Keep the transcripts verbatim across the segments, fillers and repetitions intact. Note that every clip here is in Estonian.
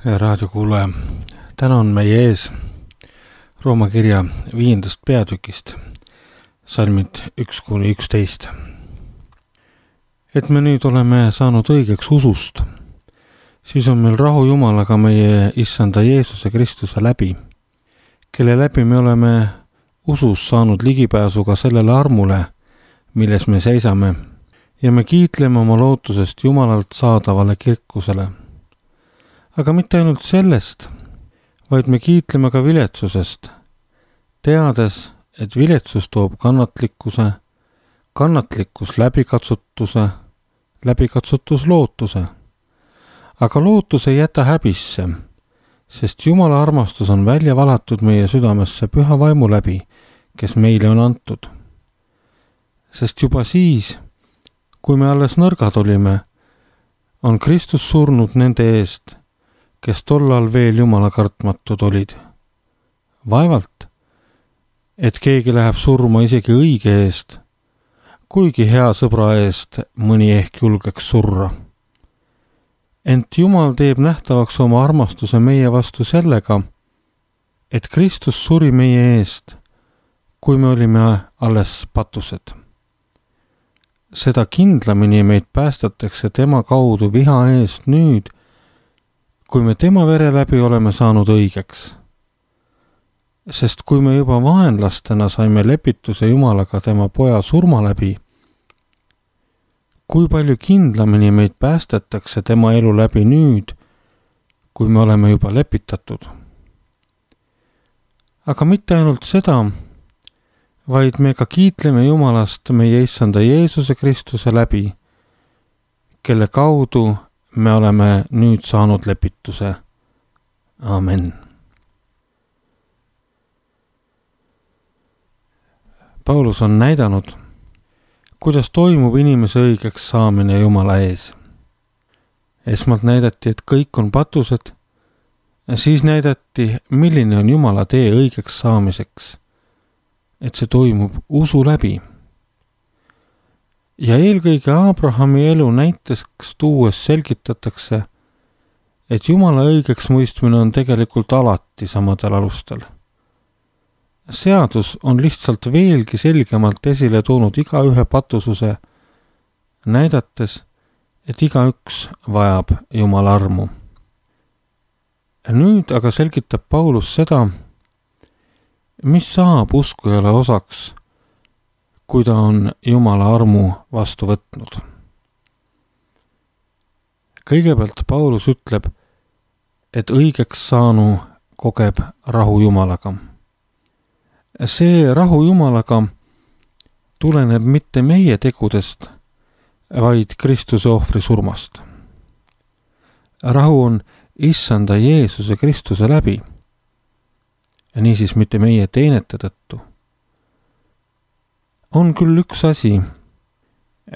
Raadiokuulaja, täna on meie ees Rooma kirja viiendast peatükist, salmid üks kuni üksteist. Et me nüüd oleme saanud õigeks usust, siis on meil rahu Jumalaga meie issanda Jeesuse Kristuse läbi, kelle läbi me oleme usus saanud ligipääsu ka sellele armule, milles me seisame, ja me kiitleme oma lootusest Jumalalt saadavale kirkusele. Aga mitte ainult sellest, vaid me kiitleme ka viletsusest, teades, et viletsus toob kannatlikkuse, kannatlikkus läbikatsutuse, läbikatsutus lootuse. Aga lootus ei jäta häbisse, sest Jumala armastus on välja valatud meie südamesse püha vaimu läbi, kes meile on antud. Sest juba siis, kui me alles nõrgad olime, on Kristus surnud nende eest, kes tollal veel Jumala kartmatud olid. Vaevalt, et keegi läheb surma isegi õige eest, kuigi hea sõbra eest mõni ehk julgeks surra. Ent Jumal teeb nähtavaks oma armastuse meie vastu sellega, et Kristus suri meie eest, kui me olime alles patused. Seda kindlamini meid päästetakse tema kaudu viha eest nüüd, kui me tema vere läbi oleme saanud õigeks. Sest kui me juba vaenlastena saime lepituse Jumalaga tema poja surma läbi, kui palju kindlamini meid päästetakse tema elu läbi nüüd, kui me oleme juba lepitatud. Aga mitte ainult seda, vaid me ka kiitleme Jumalast meie issanda Jeesuse Kristuse läbi, kelle kaudu me oleme nüüd saanud lepituse. Amen. Paulus on näidanud, kuidas toimub inimese õigeks saamine Jumala ees. Esmalt näidati, et kõik on patused, siis näidati, milline on Jumala tee õigeks saamiseks, et see toimub usu läbi. Ja eelkõige Abrahami elu näiteks tuues selgitatakse, et Jumala õigeks mõistmine on tegelikult alati samadel alustel. Seadus on lihtsalt veelgi selgemalt esile toonud igaühe patususe, näidates, et igaüks vajab Jumala armu. Nüüd aga selgitab Paulus seda, mis saab uskujale osaks, kui ta on Jumala armu vastu võtnud. Kõigepealt Paulus ütleb, et õigeks saanu kogeb rahu Jumalaga. See rahu Jumalaga tuleneb mitte meie tegudest, vaid Kristuse ohvri surmast. Rahu on issanda Jeesuse Kristuse läbi, ja niisiis mitte meie teenete tõttu. On küll üks asi,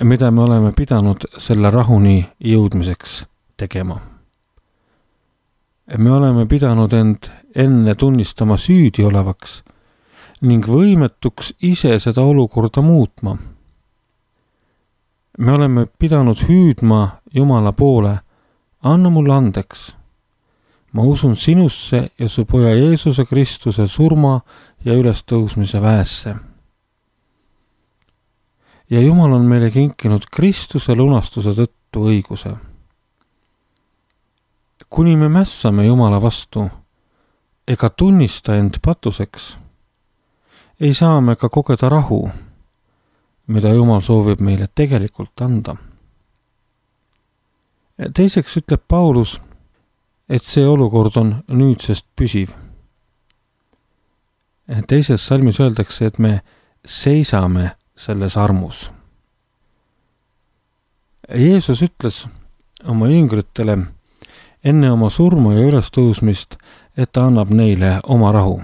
mida me oleme pidanud selle rahuni jõudmiseks tegema. Me oleme pidanud end enne tunnistama süüdi olevaks ning võimetuks ise seda olukorda muutma. Me oleme pidanud hüüdma Jumala poole, anna mulle andeks. Ma usun sinusse ja su poja Jeesuse Kristuse surma ja ülestõusmise väesse. Ja Jumal on meile kinkinud Kristuse lunastuse tõttu õiguse. Kuni me mässame Jumala vastu ega tunnista end patuseks, ei saa me ka kogeda rahu, mida Jumal soovib meile tegelikult anda. Teiseks ütleb Paulus, et see olukord on nüüdsest püsiv. Teises salmis öeldakse, et me seisame selles armus. Jeesus ütles oma jüngritele enne oma surma ja ülestõusmist, et ta annab neile oma rahu.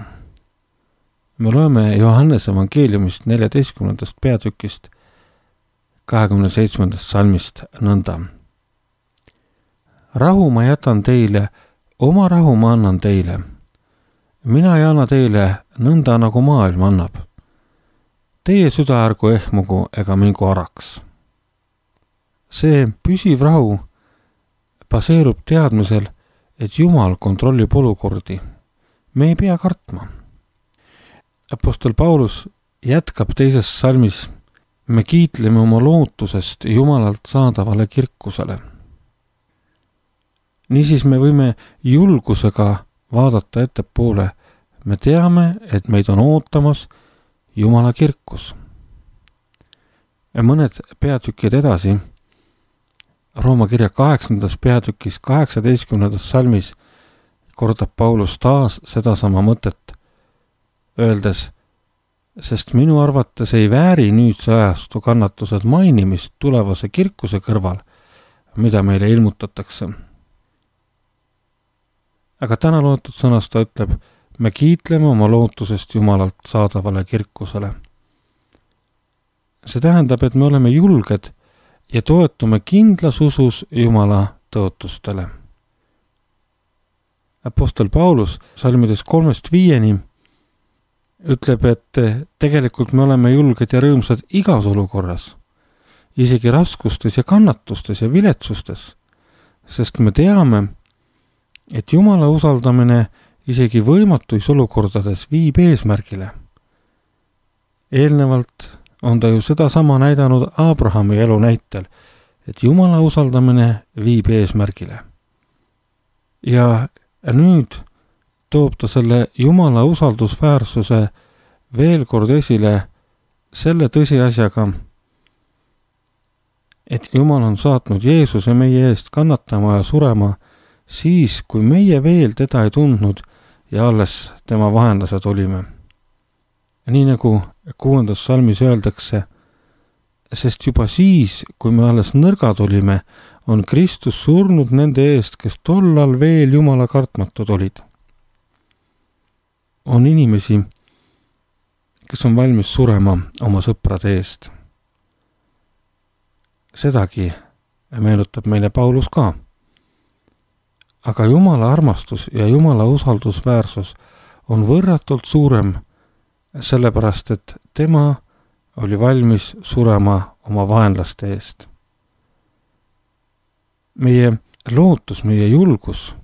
Me loeme Johannese evangeeliumist neljateistkümnendast peatükist kahekümne seitsmendast salmist nõnda. Rahu ma jätan teile, oma rahu ma annan teile. Mina ei anna teile nõnda, nagu maailm annab. Teie süda ärgu ehmugu ega mingu araks. See püsiv rahu baseerub teadmisel, et Jumal kontrollib olukordi. Me ei pea kartma. Apostel Paulus jätkab teises salmis: me kiitleme oma lootusest Jumalalt saadavale kirkusele. Niisiis me võime julgusega vaadata ettepoole. Me teame, et meid on ootamas Jumala kirkus. Ja mõned peatükid edasi, Rooma kirja kaheksandas peatükis kaheksateistkümnendas salmis kordab Paulus taas sedasama mõtet, öeldes: sest minu arvates ei vääri nüüdse ajastu kannatused mainimist tulevase kirkuse kõrval, mida meile ilmutatakse. Aga täna loetud sõnas ta ütleb: me kiitleme oma lootusest Jumalalt saadavale kirkusele. See tähendab, et me oleme julged ja toetume kindlas usus Jumala tõotustele. Apostel Paulus salmides kolmest viieni ütleb, et tegelikult me oleme julged ja rõõmsad igas olukorras, isegi raskustes ja kannatustes ja viletsustes, sest me teame, et Jumala usaldamine isegi võimatuis olukordades viib eesmärgile. Eelnevalt on ta ju sedasama näidanud Abrahami elu näitel, et Jumala usaldamine viib eesmärgile. Ja nüüd toob ta selle Jumala usaldusväärsuse veel kord esile selle tõsiasjaga, et Jumal on saatnud Jeesuse meie eest kannatama ja surema siis, kui meie veel teda ei tundnud ja alles tema vahenlased olime. Nii nagu kuuendas salmis öeldakse: sest juba siis, kui me alles nõrgad olime, on Kristus surnud nende eest, kes tollal veel Jumala kartmatud olid. On inimesi, kes on valmis surema oma sõprade eest. Sedagi meenutab meile Paulus ka. Aga Jumala armastus ja Jumala usaldusväärsus on võrratult suurem, sellepärast et tema oli valmis surema oma vaenlaste eest. Meie lootus, meie julgus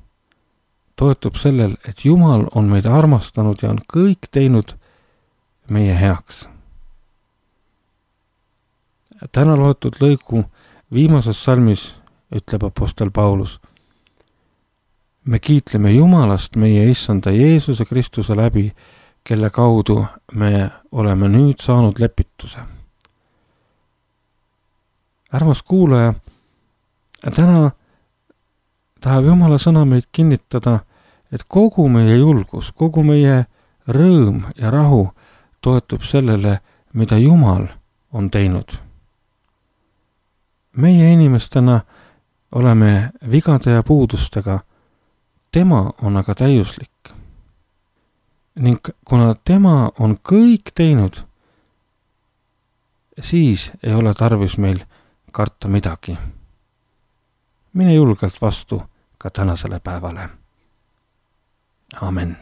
toetub sellel, et Jumal on meid armastanud ja on kõik teinud meie heaks. Täna loetud lõigu viimases salmis ütleb apostel Paulus: me kiitleme Jumalast meie issanda Jeesuse Kristuse läbi, kelle kaudu me oleme nüüd saanud lepituse. Armas kuulaja, täna tahab Jumala sõna meid kinnitada, et kogu meie julgus, kogu meie rõõm ja rahu toetub sellele, mida Jumal on teinud. Meie inimestena oleme vigade ja puudustega, tema on aga täiuslik. Ning kuna tema on kõik teinud, siis ei ole tarvis meil karta midagi. Mine julgelt vastu ka tänasele päevale. Amen.